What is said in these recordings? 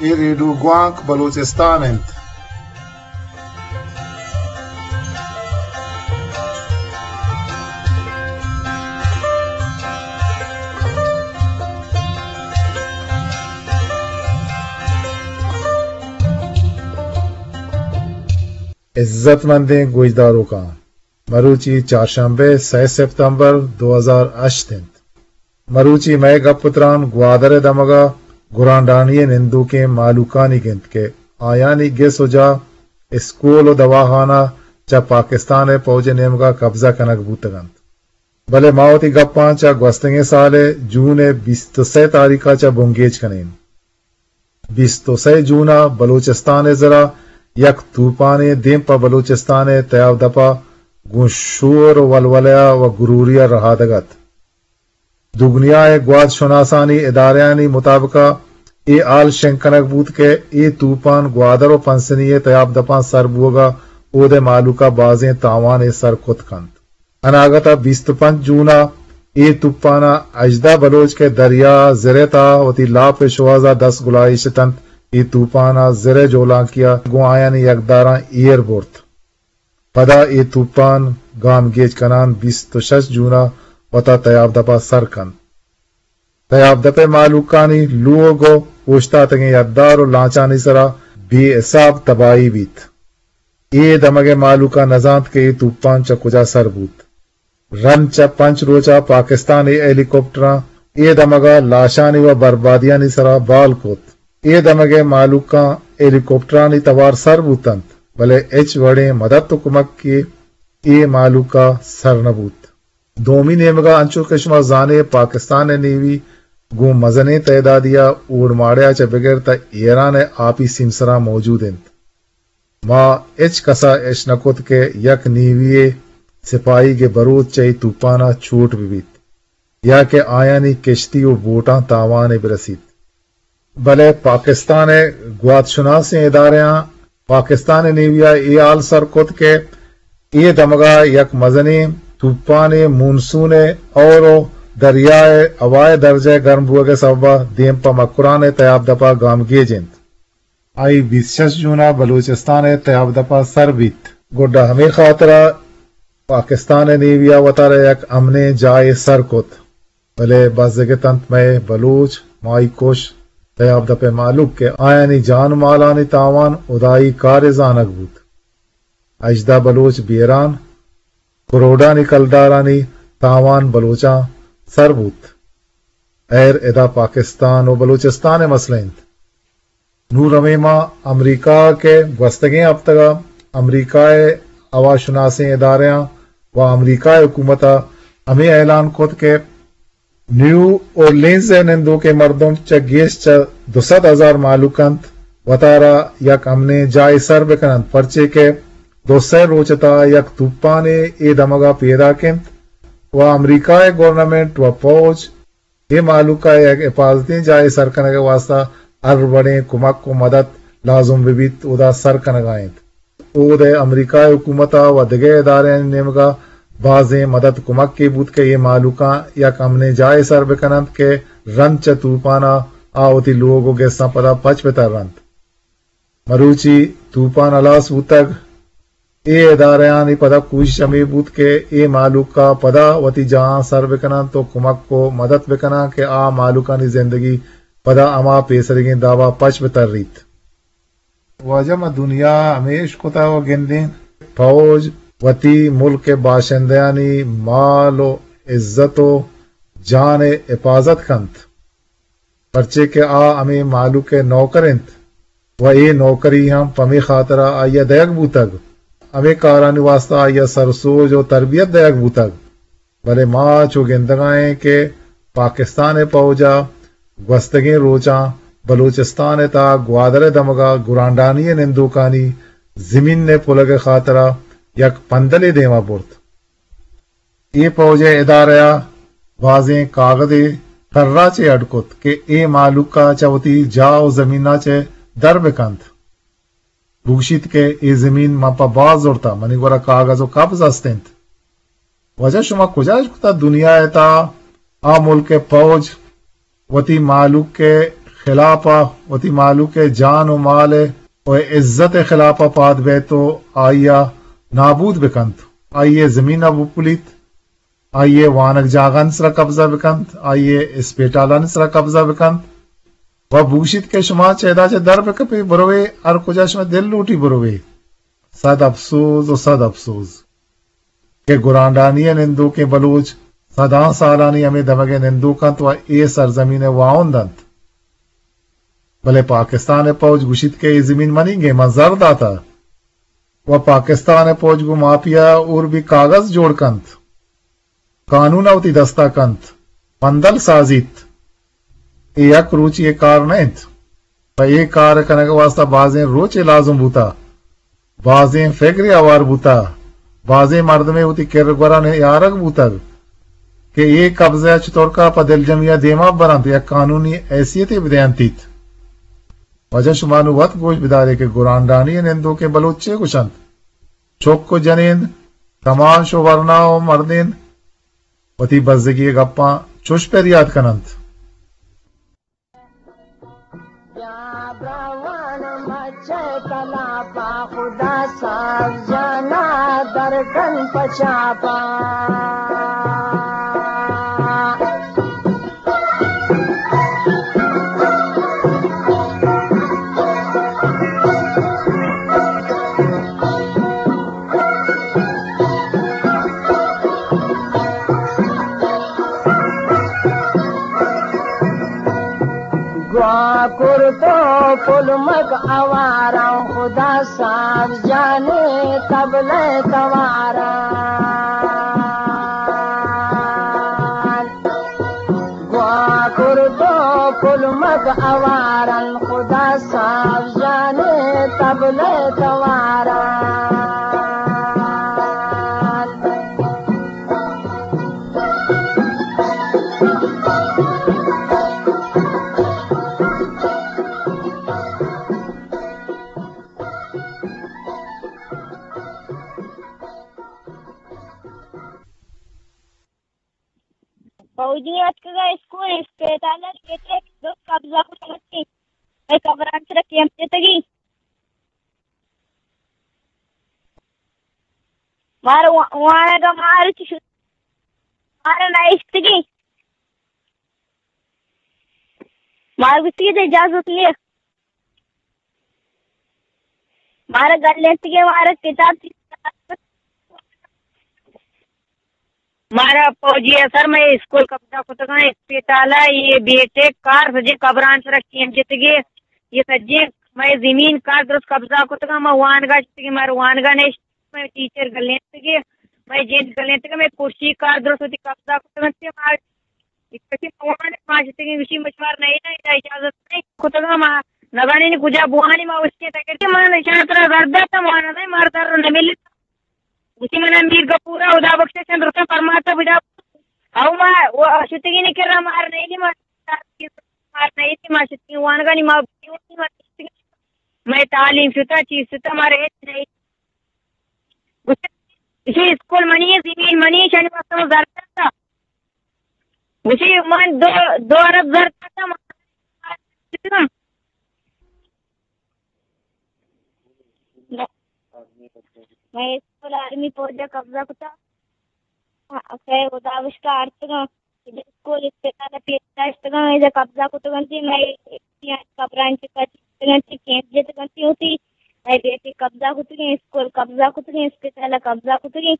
اے ریڈیو گوانک بلوچستان انت۔ عزت مندیں گوشداروکاں، مروچی چارشنبے سئے سپتمبر دو ہزار ہشت انت۔ مروچی مئے گپ ءُ تران گوادر ءِ دمگ ءَ گرانڈانی ءِ نندوکیں مھلوکانی گنت کہ آیانی گس ءُ جاہ، اسکول ءُ دواخانہ چہ پاکستان ءِ پوج ءِ نیمگ ءَ قبضہ کنگ بوتگ انت۔ بلے ما وتی گپاں چہ گوستگیں سال ءِ جون ءِ بیست ءُ سئے تاریخ ءَ چہ بنگیج کنیں۔ بیست ءُ سئے جون ءَ بلوچستان ءِ زر ءَ یک توپانے دیم پہ بلوچستان ءِ تیاب دپ ءَ گوں شور ءُ ولولہ ءَ ءُ گروری ءَ رھادگ ات۔ دگنیا ءِ گوات شناسانی ادارہانی مطابق ءَ اے ہال شنگ کنگ بوت کہ اے توپان گوادر ءُ پسنی ءِ تیاب دپاں سر بوگ ءَ اود ءِ مھلوک ءَ بازیں تاوانے سر کت کنت۔ اناگت ءَ بیست ءُ پنچ جون ءَ اے توپان ءَ ہژدہ بلوچ کہ دریا ءِ زر ءِ تہا وتی لاپ ءِ شوہاز ءَ دست گلائیش اتنت، اے توپان ءَ زر ءِ جولانکی ءَ گوں آیانی یکداراں ایر برت۔ پدا اے توپان گامگیج کنان بیست ءُ شش جون ءَ وتا تیاب دپ ءَ سر کنت۔ تیاب دپ ءِ مھلوکانی لوگ ءُ اوشتاتگیں یدار ءُ لانچانی سرا بے حساب تباہی بیت۔ اے دمگ ءِ مھلوک ءَ نزانت کہ اے توپان چہ کجا سر بوت۔ رند چہ پنچ روچ ءَ پاکستان ءِ ہیلی کاپٹراں اے دمگ ءَ لاشانی ءُ بربادیانی سرا بال کت۔ اے دمگ ءِ مھلوکاں ہیلی کاپٹرانی توار سر بوتنت، بلے ہچ وڑیں مدت ءُ کمکے اے مھلوک ءَ سر نہ بوت۔ دومی نیمگ ءَ انچو کہ شما زان ئے پاکستان ءِ نیوی گوں مزنیں تعدادے ءَ اوڑماڑے ءَ چہ بگر تاں ایران ءِ آپی سیمسراں موجود انت۔ ما ہچ کس ءَ اش نہ کت کہ یک نیوی ءِ سپاہیگے بروت چہ اے توپان ءَ چوٹ بہ بیت یا کہ آیانی کشتی ءُ بوٹاں تاوانے بہ رسیت۔ بلے پاکستان ءِ گوات شناسیں ادارہاں پاکستان ءِ نیوی ءَ اے ہال سر کت کہ اے دمگ ءَ یک مزنیں توپانے مونسون ءِ ہور ءُ دریا ءِ ہوا ءِ درجہ گرم بوگ ءِ سبب ءَ دیم پہ مکران ءِ تیاب دپ ءَ گامگیج انت۔ آئی بیست ءُ شش جون ءَ بلوچستان ءِ تیاب دپ ءَ سر بیت۔ گڈا ہمے خاطر ءَ پاکستان ءِ نیوی ءَ وتارا یک امنیں جاہے سر کت۔ بلے بزگ اتنت مئے بلوچ ماہی کش تیاب دپ ءِ مہلوک کہ آیانی جان ءُ مالانی تاوان ہدائی کارے زانگ بوت۔ ہژدہ بلوچ بیران، کروڑانی کلدارانی تاوان بلوچاں سر بوت۔ ہیر ادا پاکستان ءُ بلوچستان ءِ مسئلہ انت۔ نوں رویں ما امریکہ ءَ کہ گوستگیں ہپتگ ءَ امریکہ ءِ ہوا شناسیں ادارہاں ءُ امریکہ ءِ حکومت ءَ ہمے اعلان کت کہ نیو اورلینز ءِ نندوکیں مردم چہ گیش چہ دو سد ہزار مہلوک انت، وتارا یک امنیں جاہے سر بہ کن انت، پرچے کہ دو سئے روچ ءِ تہا یک توپانے اے دمگ ءَ پیداک انت ءُ امریکہ ءِ گورنمنٹ ءُ پوج اے مہلوک ءَ یک حفاظتیں جاہے سر کنگ ءِ واستہ ہر وڑیں کمک ءُ مدد لازم بہ بیت، اودا سر کنگ ءَ انت۔ اود ءَ امریکہ ءِ حکومت ءَ ءُ دگہ ادارہانی نیمگ ءَ بازیں مدد کمکے بوت کہ اے مہلوکاں یک امنیں جاہے سر بہ کن انت کہ رند چہ توپان ءَ آ وتی لوگ ءُ گساں پدا پچ بہ تر انت۔ مروچی توپان ہلاس بوتگ، اے ادارہانی پدا کوشش ہمے بوت کہ اے مہلوک ءَ پدا وتی جاہاں سر بہ کن انت ءُ کمک ءُ مدد بہ کن انت کہ آ مہلوکانی زندگی پدا ہما پیسریگیں داب ءَ پچ بہ تریت۔ واجہ، ما دنیا ءَ ہمے اشکتہ ءُ گندیں، پوج وتی ملک ءِ باشندہانی مال ءُ عزت ءُ جان ءِ حفاظت کنت، پرچے کہ آ ہمے مہلوک ءِ نوکر انت ءُ اے نوکری ہم پمے خاطر ءَ آئی ءَ دئیگ بوتگ، ہمے کارانی واستہ آئی ءَ سرسوج ءُ تربیت دئیگ بوتگ۔ بلے ما چو گندگ ءَ ایں کہ پاکستان ءِ پوج ءَ گوستگیں روچاں بلوچستان ءِ تہا گوادر ءِ دمگ ءَ گرانڈانی ءِ نندوکانی زمین ءِ پلگ ءِ خاطر ءَ یک پندلے دیم ءَ برت۔ اے پوج ءِ ادارہ ءَ بازیں کاگدے ترا چہ اڈ کت کہ اے مہلوک ءَ چہ وتی جاہ ءُ زمین ءَ چہ در بہ کنت۔ بگوشیت کہ اے زمین من پہ باز زرتہ، منی گورا کاگد ءُ قبض است انت۔ واجہ، شما کجا اشکتہ دنیا ءِ تہا آ ملک ءِ پوج وتی مہلوک ءِ خلاف ءَ وتی مہلوک ءِ جان ءُ مال ءِ ءُ عزت ءِ خلاف ءَ پاد بیت ءُ آئی ءَ نابود بکنت، آئی ءِ زمین ءَ بپلیت، آئی ءِ وانگ جاگہانی سرا قبضہ بکنت، آئی ءِ اسپیٹالانی سرا قبضہ بکنت ءُ بگوشیت کہ شما چہ ادا چہ در بکپے، بروے، ہر کجا شما دل لوٹی بروے۔ صد افسوز ءُ صد افسوز کہ گرانڈانی ءِ نندوکیں بلوچ صداں سالانی ہمے دمگ ءِ نندوک انت ءُ اے سرزمین ءِ واہند انت۔ بلے پاکستان ءِ پوج گوشیت کہ اے زمین منیگ ءَ، من زر داتہ ءُ پاکستان ءِ پوج گوں مافیا اور بھی کاغذ جوڑ کنت، قانون ءَ وتی دست ءَ کنت، پندل سازیت۔ اے یک روچی ءِ کار نہ انت۔ پہ اے کار ءِ کنگ ءِ واستہ بازیں روچے لازم بوتہ، بازیں فگرے ہوار بوتہ، بازیں مردمے وتی کر ءُ گور ءَ نیارگ بوتگ کہ اے قبضہ ءَ چتورکا پہ دلجمی ءَ دیما برنت، یک قانونی حیثیتے بدینتیت۔ واجہ، شما نوں وت گوش بدارے کہ گرانڈانی ءِ نندوکیں بلوچ چے گوشنت؟ چک ءُ جنین، کماش ءُ ورنا ءُ مردین وتی بزگی ءِ گپاں چوش پریات کننت۔ بیا براہوان مچ تلاپا، خدا صاحب جانا درکن پچاپا۔ گوا کرتو پلمک آواراں، خدا صاحب جانے طبلہ تواراں۔ گوا کرتو پلمک آواراں، خدا صاحب جانے طبلہ تواراں۔ فوجی اتکگا اسکول اسپتال ءَ پیٹے درست قبضہ کتگ اَنت۔ اے قبران سرا کیمپ جتگی۔ مارا وا-، وانگا مارا چی شد؟ مارا نہ اشتگی۔ مارا گوشتگی تئی اجازت نیست۔ مارا گلینتگی، مارا کتاب چی؟ مارا فوجی ءَ سر مئے اسکول قبضہ کتگاں، اسپتال ءَ، اے بی ٹیک کار سجیں قبران سرا کیمپ جتگی، اے سجیں مئے زمین کار درست قبضہ کتگاں، ما وانگا جتگی، مارا وانگا نشت، مئے ٹیچر گلینتگی، مئے جند گلینتگی، مئے کرسی کار درست وتی قبضہ کتگاں، ما اے کسی ما وانگ ما شتگیں، گوشی مشوار نہ اِنت، ادا اجازت نہ اِنت۔ کتگاں ما نزانیں کجا بوانی، ما اشکے تکے ما نشان ترا زر داتا، ما نہ، مار در نہ ملتا۔ گوشی منا میر گپورا، خدا بخشش، چند رسم فرماتا بدا۔ او ما، او شتگیں کرا مار نہ اِنت، ما مار نہ اِنت، ما شتگیں وانگانی ما، ما تعلیم شتا، چیز شتا، مار ہچ نہ اِنت۔ گوشی اسکول منی اِنت، زمین منی اِنت، شانی واسطہ ما زر داتا۔ گوشی من دو، دو ارب زر داتاں، من مئے اسکول آرمی فوج ءَ قبضہ کتا۔ کہ خدا بشکا آرتگاں۔ اسکول اسپتال ءَ پیش داشتگاں، ادا قبضہ کتگ اَنت، مئے قبرانی چکا چیتگ اَنت، کیمپ جتگ اَنت وتی۔ مئے بیٹے قبضہ کتگیں، اسکول قبضہ کتگیں، اسپتال ءَ قبضہ کتگیں۔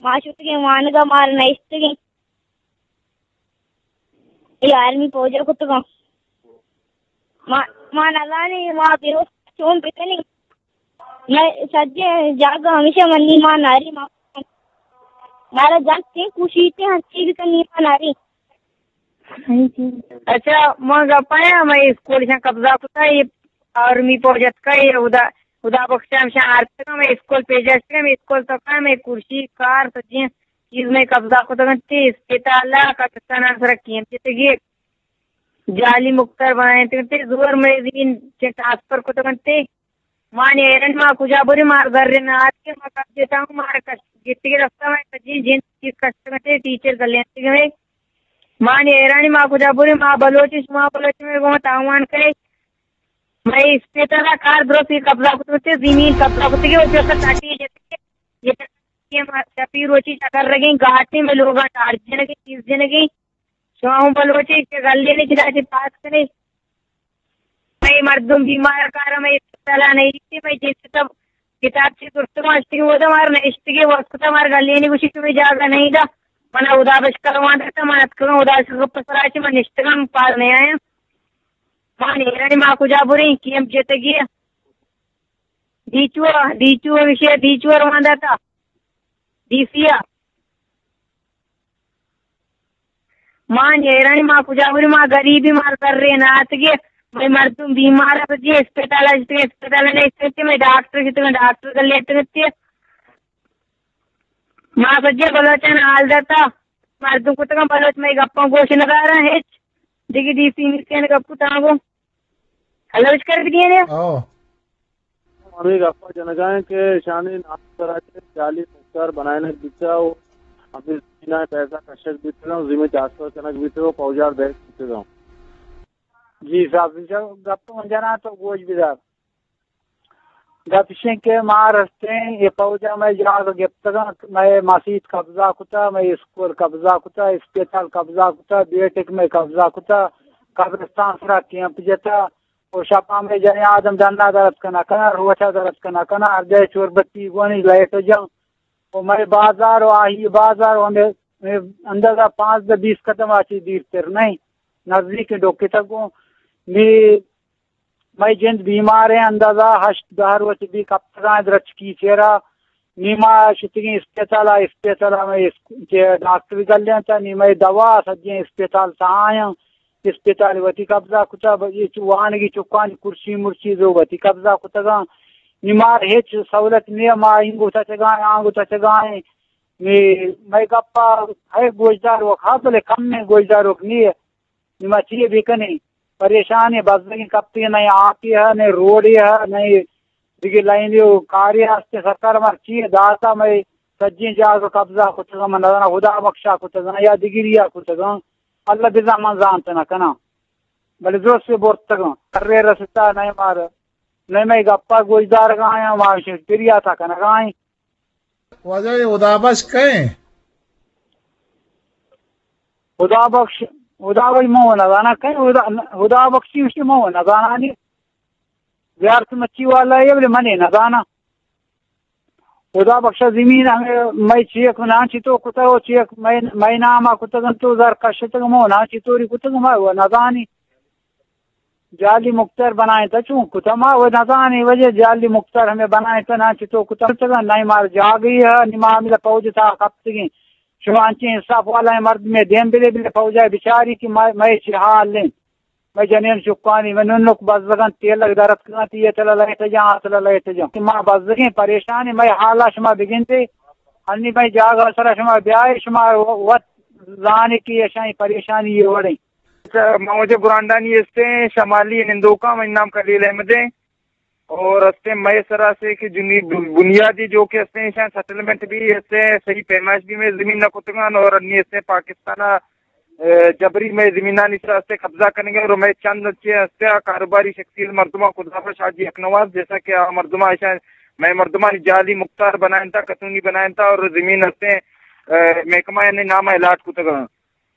ما شتگیں وانگا، مار نشتگیں۔ اے آرمی فوج ءَ کتگاں۔ ما، ما نزانیں، ما بے ہوش چون بکنیں۔ مئے سجیں جاگہ ہمیشہ منی ما ناری ما۔ مارا جان سے کوشیتے ہنچی بکن نی ما ناری۔ اچھا، ما گپایا، مئے اسکول شان قبضہ کتا، اے آرمی فوج اتکا، اے خدا، خدا بخشا ہمشان آرتگا، مئے اسکول پیجاشتگا، مئے اسکول تکا، مئے کرسی، کار، سجیں چیز مئے قبضہ کتگ اَنت، اسپتال ءَ قبرستان ءِ سرا کیمپ جتگی، جعلی مختار بنائینتگ اَنت، زور مئے زمین چہ ٹرانسفر کتگ اَنت۔ ما نہ ایرن، ما کجا بریں، مار زر نہ آتکے، ما کجا جتاں، مار کش گتگی رستہ، مئے سجیں جند چیز کشتگ اَنت، ٹیچر گلینتگ اَنت۔ ما نی حیرانی، ما کجا بریں؟ ما بلوچ، شما بلوچ، مئے گوں تاوان کرے۔ مئے اسپیتال ءَ کار درستی قبضہ کتگ، زمین قبضہ کتگ، او جو سٹی جتگ، یہ ما شپی روچی چکر رگیں، گاٹیں مئے لوگاں ٹارچ جنگیں، چیز جنگیں۔ شما ہوں بلوچے کہ گلے نے چدا چہ پاس کرے۔ مئے مردم بیمار کار، مئے اسپتال ءَ نہیں، مئے جنس سب کتاب چی کرتگ، اشتگی ودا مار نشتگی وقت مار گلے نے گوشی تمہیں جاگہ نہیں دا۔ منا خدا بش کرواں دتا، من اتکگاں خدا شکر پسرا چہ من نشتگاں، پار نہیں آیا۔ ما نیرانی ما کجا بریں، کیم جتگی۔ ڈیچو، ڈیچو وشے، ڈیچو روان داتا۔ ڈی سی ءَ۔ ما نیرانی ما کجا بری، ما غریبی، مار کرے ناتگے، مئے مردم بیمار ءَ، سجے اسپتال ءَ جتگے، اسپتال ءَ نیست، مئے ڈاکٹر جتگے، ڈاکٹر گلے اتکتے۔ ما سجے بلوچان حال داتا، مردم کتگاں بلوچ، مئے گپاں گوش نداراں ہچ۔ دگہ ڈی سی نیستیں گپ کتاں گوں۔ ہلوش کر دیگے نے؟ او۔ ہمے گپا جنگا ہیں کہ شانی نام سرا چہ جعلی مختار بنائینگ بیتا و ہمے زمینا پیسہ کشگ بیتا و زمین ٹرانسفر کنگ بیتا و پوجار دیگ بیتا۔ جی صاحب، انشاءاللہ گپ من جناں تو گوش بدار۔ گپ اشیں کہ ما رستیں، یہ پوجا مئے جاگہ گپتگاں، مئے مسیت قبضہ کتا، مئے اسکول قبضہ کتا، اسپتال قبضہ کتا، بیٹک مئے قبضہ کتا، قبرستان سرا کیمپ جتا، و شپا مئے جنیں آدم ڈنا درت کنا کنا، روچا درت کنا کنا، ہر جاہ چور بتی گونی لائٹ جاں۔ و مئے بازار و آہی بازار و ہمیں، ہمیں اندازہ پانزدہ بیست قدم آ چی دیر تر نہیں، نزدیک ڈوکتگ گوں۔ نی مئے جند بیمار ہیں، اندازہ ہشت دہ روچ بی کپتگاں درچکی چیرا۔ نی ما شتگیں اسپتال ءَ، اسپتال ءَ مئے اس-، کہ ڈاکٹر گلینتا، نی مئے دوا سجیں اسپتال تہا آیاں۔ اسپتال وتی قبضہ کتا، ب-، یہ چو وانگی چکانی کرسی مرسی زو وتی قبضہ کتگاں۔ نی مار ہچ سہولت نیہ، ما اینگو تچگائیں، آنگو تچگائیں۔ نی مئے گپا ہے گوشدار وک ہا، بلے کم میں گوشدار وک نیہ۔ نی ما چی بکنیں؟ پریشانیں، بزگیں کپتگیں، نئے آپے ہا، نئے روڈے ہا، نئے دگہ لائنے و کارے ہستے۔ سرکار مار چی داتا، مئے سجیں جاگہ قبضہ کتگاں، من نزاناں خدا بخشا کتگاں یا دگریا کتگاں، اللہ بزاں من زانت نہ کناں۔ بلے درست برتگاں، کرے رستا نئے مار، نئے مئے گپا گوشدارگا آیاں، ما شکریہ تا کنگا ایں۔ واجہ، یہ ہدا بخش کئے؟ ہدا بخش، ہدا بخش مو نزاناں کئے؟ ہدا، ہدا بخشی وشی مو نزاناں نی۔ زیارت مچی والا ہے، بلے منے نزاناں۔ ہدا بخشا زمین ہمیں مئے چیک نان چی تو کتا، و چیک مئے، مئے نام آ کتا گن تو زر کشتگ مو نان چی توری کتا ما و نزانی۔ جعلی مختار بنائیں تا چون کتا ما و نزانی وجہ جعلی مختار ہمیں بنائیں تا نان چی تو کتا، کتا نئے مار جاگی ہے، نی ما ہمیں پوج تا کپتگیں۔ شما انچیں انصاف والا مردمے دیم بلے، بلے پوجا بچاری کہ مئے، مئے چی حال ہیں۔ مئے جنین چکانی، مئے ننک بزگاں تیلگ درتکگاں، تی یہ تلا لائٹ جاں، آ تلا لائٹ جاں۔ کہ ما بزگیں پریشانی، مئے حالا شما بگندے۔ انی مئے جاگہ سرا شما بیائے، شما وت زانے کہ اشانی پریشانی یہ وڑیں۔ اچھا، ما واجہ گرانڈانی استیں، شمالی نندوکاں، مئے نام خلیل احمد ہیں۔ اور ہستیں مئے سرا سے کہ جنی-، بنیادی جو کہ ہستیں ایشاں سیٹلمنٹ بھی ہستیں، صحیح پیمائش بھی مئے زمین نہ کتگان اور انی ہستیں پاکستان ءَ، اے، جبری مئے زمینانی سرا ہستیں قبضہ کنگے اور مئے چند چے ہستیں آ کاروباری شخصیت مردماں خدا بخش حاجی اکنواز، جیسا کہ آ مردماں ایشاں مئے مردمانی جعلی مختار بنائنتا، قانونی بنائنتا اور زمین ہستیں، اے، محکمہ یعنی نام الاٹ کتگان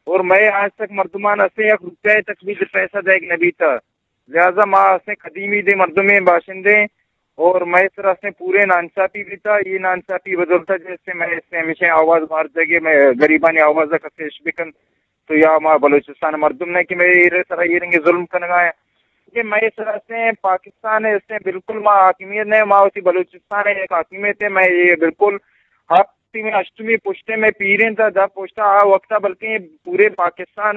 اور مئے آج تک مردمان ہستیں یک روپے تک بھی پیسہ دیگ نہ بیتا۔ لہذا ما ہستیں قدیمی دے مردمیں باشندے اور مئے سرا ہستیں پورے ناانصافی بیتا۔ یہ ناانصافی بدولتا جیسے مئے ہستیں ہمیشہ آواز مار دے گے، مئے غریبانی آواز کسے اش بکن تو یا ما بلوچستان مردم نہ کہ مئے ایرے سرا یہ رنگے ظلم کنگا ہیں۔ یہ مئے سرا ہستیں پاکستان ہستیں بالکل ما حاکمیت نہیں، ما اسی بلوچستان ایک حاکمیت ہے، مئے یہ بالکل حق تئی مئے ہشتمی پشتے مئے پیریں تا دپ پشتا آ وقتا بلکیں پورے پاکستان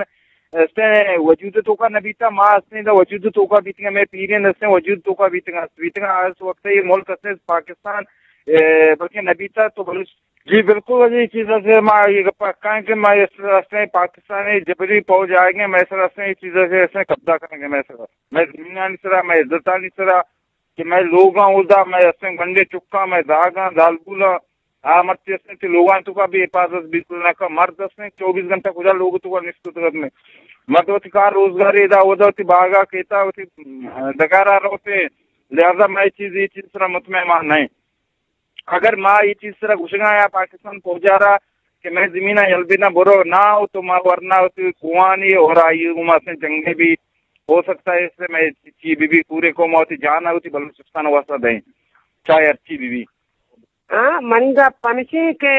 استیں وجود توکا نہ بیتا، ما استیں دا وجود توکا بیتگا، مئے پیریں استیں وجود توکا بیتگا، بیتگا اس وقت یہ ملک استیں پاکستان، اے، بلکیں نہ بیتا تو بلوچ۔ جی بالکل، یہ چیز سے ما یہ پکا ہیں کہ ما اس استیں پاکستان جبری پوج آئے گے، مئے سرا استیں یہ چیز سے استیں قبضہ کریں گے، مئے سرا، مئے زمینانی سرا، مئے عزتانی سرا، کہ مئے لوگاں اودا، مئے استیں گنڈے چکاں، مئے داگاں، زالبولاں، آ مرچی استیں، چہ لوگاں توکا بے حفاظت بیت نہ کن۔ مرد استیں، چوبیس گھنٹہ کجا لوگ توکا نشتگ ات؟ مرد وتی کار روزگارے ادا اودا وتی باغا کیتا وتی ڈگارا روتے۔ لہذا ما اے چیز، اے چیز سرا مطمئن ما نہ ایں۔ اگر ما اے چیز سرا گوشگا یا پاکستان پوجا را کہ مئے زمینا یل بداں، برو نہ، او تو ما ورنا وتی کوہانی اور آئی گوما استیں جنگے بھی ہو سکتا ہے، اس سے مئے چی بی بی پورے قوم وتی جان وتی بلوچستان واسطہ دیں، چاہے ہر چی بی بی۔ ہاں، منی گپ ہمیش انت کہ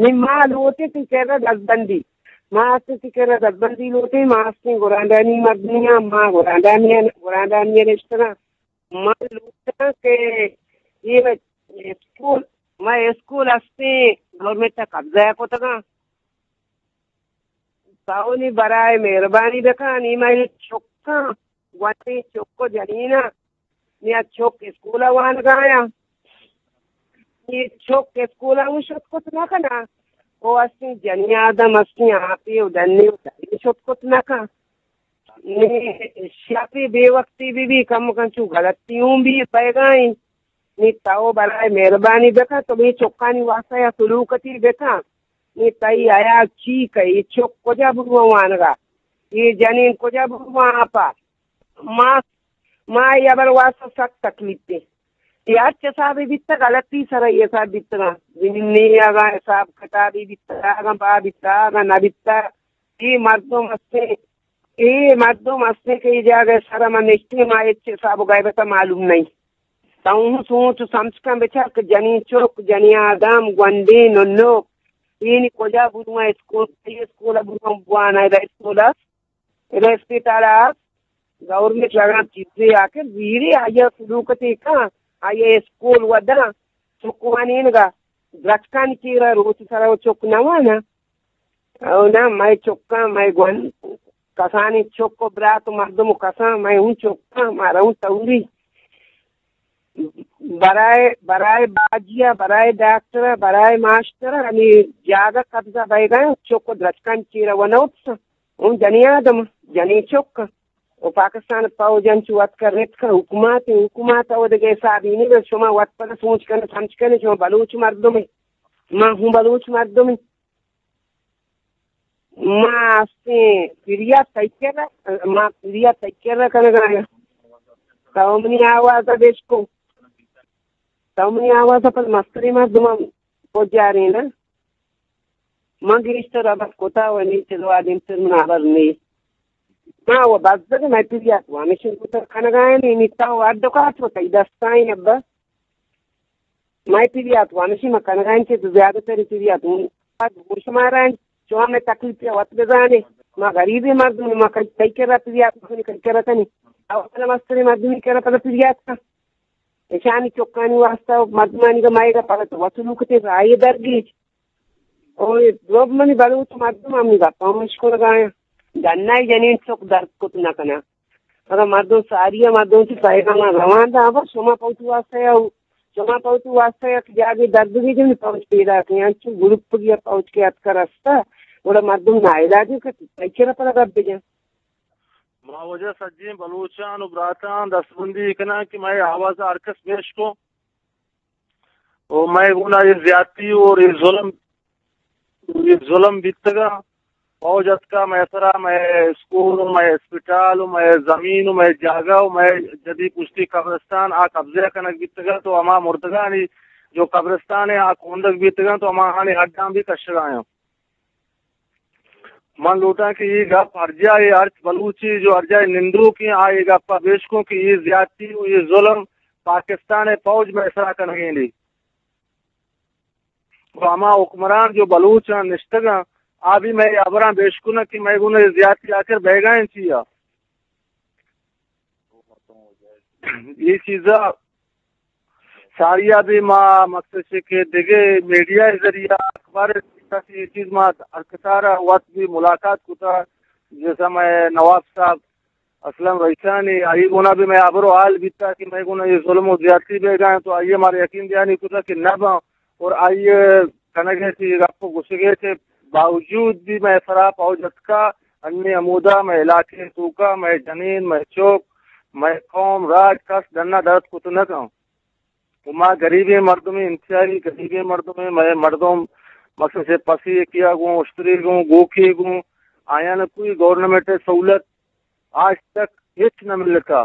نی ما لوٹیں تئی کرا دزبندی۔ ما ہستیں تئی کرا دزبندی لوٹیں، ما ہستیں گورانڈانی مردمی آں، ما گورانڈانی، گورانڈانی نشتگاں۔ ما لوٹاں کہ اے اسکول، ما اسکول ہستیں گورنمنٹ ءَ قبضہ کتگاں۔ تو نی برائے مہربانی بکن، نی مئے چکاں، گونڈیں چک و جنیناں، نی آ چک اسکول ءَ وانگایاں۔ نی چک اسکول ءَ اوں شت کت نہ کناں۔ او ہستیں جنی آدم ہستیں، آپے و ڈنے و ڈنے شت کت نہ کن۔ نی شپے بے وقتی بی بی، کم کن چو غلطی اوں بی پائگا ایں۔ نی تو برائے مہربانی بکن، تو بی چکانی واسطہ یا سلوکتی بکن۔ نی تئی حیال چی کئی، چک کجا برواں وانگا؟ اے جنین کجا برواں آپا؟ ما، ما اے ہبر واسطہ سک تکلیف ایں۔ اے ہرچ حسابے بیتگ، غلطی سرا اے حساب بیتگاں۔ زمین نیاگاں حساب کتابے بیتگ، آگاں با بیتگ، آگاں نہ بیتگ۔ اے مردم ہستیں، اے مردم ہستیں کہ اے جاگہ سرا ما نشتیں، ما ہچ حساب و غیبت معلوم نہیں۔ تو اوں سوچ و سمجھ کن بچار کہ جنین چک، جنین آدم، گونڈیں ننوک، اے نی کجا برواں؟ اسکول، اسکول برواں بوانا، ادا اسکول است، ادا اسپیتال است، گورنمنٹ لگان چیزے آخر زیری آیا سلوکتے کن، آیا اسکول وداں، چک وانینگا، درچکانی چیرا روچ سرا و چک نوانا۔ او نا، مئے چکاں، مئے گون، کسانی چک و برات و مردم و کساں، مئے اوں چکاں، مارا اوں توری۔ برائے، برائے باجی ءَ، برائے ڈاکٹر ءَ، برائے ماسٹر ءَ ہمے جاگہ قبضہ بئیگا ایں، چک و درچکانی چیرا ونوپس، اوں جنی آدم، جنی چک۔ و پاکستان پوج انچو وت کر رتک، حکومت، حکومت او دگہ حسابی نہ، شما وت پدا سوچ کن، سمجھ کن، شما بلوچ مردم اے، ما ہوں بلوچ مردم اے۔ ما استیں پریات تئی کرا، ما پریات تئی کرا کنگا ایں۔ تو منی آواز ءَ بشکو۔ تو منی آواز ءَ پر مستری مردم پجارین۔ من گیشتر ابد کتا و نی چلوا دیم تر من آور نی۔ ما و بزگ مئے پریات و ہمیشن کتا کنگا ایں، نی تو اڈ کات و تئی دستائیں ابا۔ مئے پریات و ہمیشی ما کنگا ایں کہ زیادہ تر پریات ہوں۔ پد گوش مارا ایں، چون مئے تکلیف وت بزانے۔ ما غریبیں مردم، ما کئی، کئی کرا پریات کنی، کئی کرا کنی۔ او پدا مستریں مردمی کرا پدا پریات کن۔ اشانی چکانی واسطہ مردمانی گا مئے گا پدا تو وصلو کتے رائے درگیج۔ او رب منی بلوچ مردم ہمیں گپا ہم اشکنگا ایں۔ ڈنائی جنین چک درد کت نہ کنا۔ اگاں مردم ساری ءَ مردم چہ پیغام ءَ روان داں، بس شما پہ وتی واسطہ ءَ، شما پہ وتی واسطہ ءَ یک جاگے درد بہ جن، پوج پیدا کن، انچو گروپ گیا پوج کے اتکا رستہ، گڑا مردم ناعلاج ایں کہ تئی کرا پدا گپ بجن۔ ما واجہ سجیں بلوچان و براتان دستبندی کناں کہ مئے آواز ءَ ہر کس بشکو۔ و مئے گونا اے زیادتی اور اے ظلم، اے ظلم بیتگا۔ فوج اتکا مئے سرا، مئے اسکول و مئے اسپتال و مئے زمین و مئے جاگہ و مئے جدی پشتی قبرستان آ قبضہ کنگ بیتگا، تو ہما مردگانی جو قبرستان اے آ کوندگ بیتگا، تو ہماہانی ہڈاں بھی کشگایاں۔ من لوٹاں کہ اے گپ ہر جاہ ءَ، ہرچ بلوچے جو ہر جاہ ءَ نندوک ایں، آ اے گپ ءَ بشکوں کہ اے زیادتی و اے ظلم پاکستان ءِ فوج مئے سرا کنگین ایں۔ و ہما حکمران جو بلوچاں نشتگاں، آ بھی مئے ہبراں بشکناں کہ مئے گون اے زیادتی آخر بیگا ایں چیا۔ اے چیزا ساری ءَ بھی ما مقصد چہ کہ دگہ میڈیا ءِ ذریعہ، اخبار ءِ ذریعہ سے اے چیز ما ہر کسارا وت بھی ملاقات کتا، جیسا مئے نواب صاحب اسلم رئیسانی، آئی گونا بھی مئے ہبر و حال بیتا کہ مئے گونا اے ظلم و زیادتی بیگا ایں، تو آئی مارا یقین دیانی کتا کہ نہ باں، اور آئی کنگے چہ اے گپ و گوشگے چہ باوجود بھی مئے سرا فوج اتکا، انی ہمودا مئے علاقے توکا مئے جنین، مئے چک، مئے قوم، راج کس ڈنا درد کت نہ کن۔ و ما غریبیں مردمیں، انتہائی غریبیں مردمیں، مئے مردم مثلاً چہ پسی کیا گوں، اشتری گوں، گوکے گوں، آیان کوئی گورنمنٹ سہولت آج تک ہچ نہ ملتا۔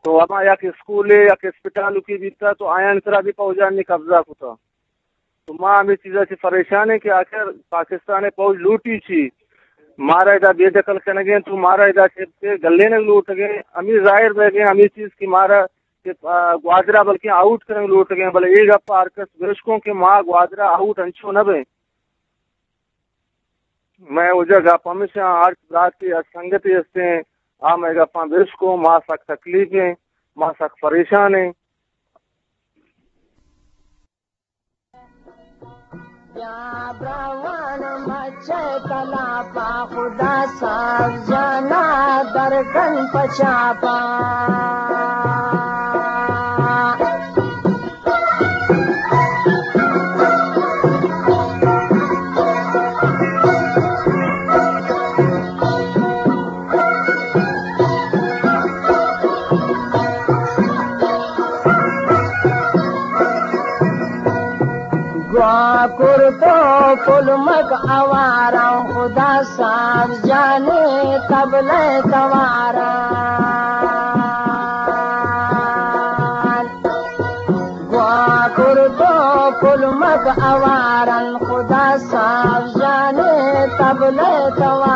تو ہما یک اسکولے، یک اسپتال کی بیتا، تو آیان سرا بھی فوجانی قبضہ کتا۔ تو ما ہمے چیزا چہ پریشان ہیں کہ آخر پاکستان فوج لوٹی چی؟ مارا ادا بے دخل کنگیں، تو مارا ادا چہ گلینگ لوٹگیں۔ ہمے ظاہر بیگیں، ہمے چیز کہ مارا کہ، آ، گوادرا بلکیں آؤٹ کنگ لوٹگیں، بلے اے گپ ہر کس برشکوں کہ ما گوادرا آؤٹ انچو نہ بیں۔ مئے وجہ گپ ہمیشہ ہر برات کہ سنگتے ہستیں، آ مئے گپاں برشکوں، ما سک تکلیف ہیں، ما سک پریشان ہیں۔ بیا براوان مچ تلاپا، خدا صاحب جانا درکن پچاپا۔ گوا کرتو پلمک آواران، خدا صاحب جانے طبلہ تواران۔ گوا کرتو پلمک آواران، خدا صاحب جانے طبلہ تواران۔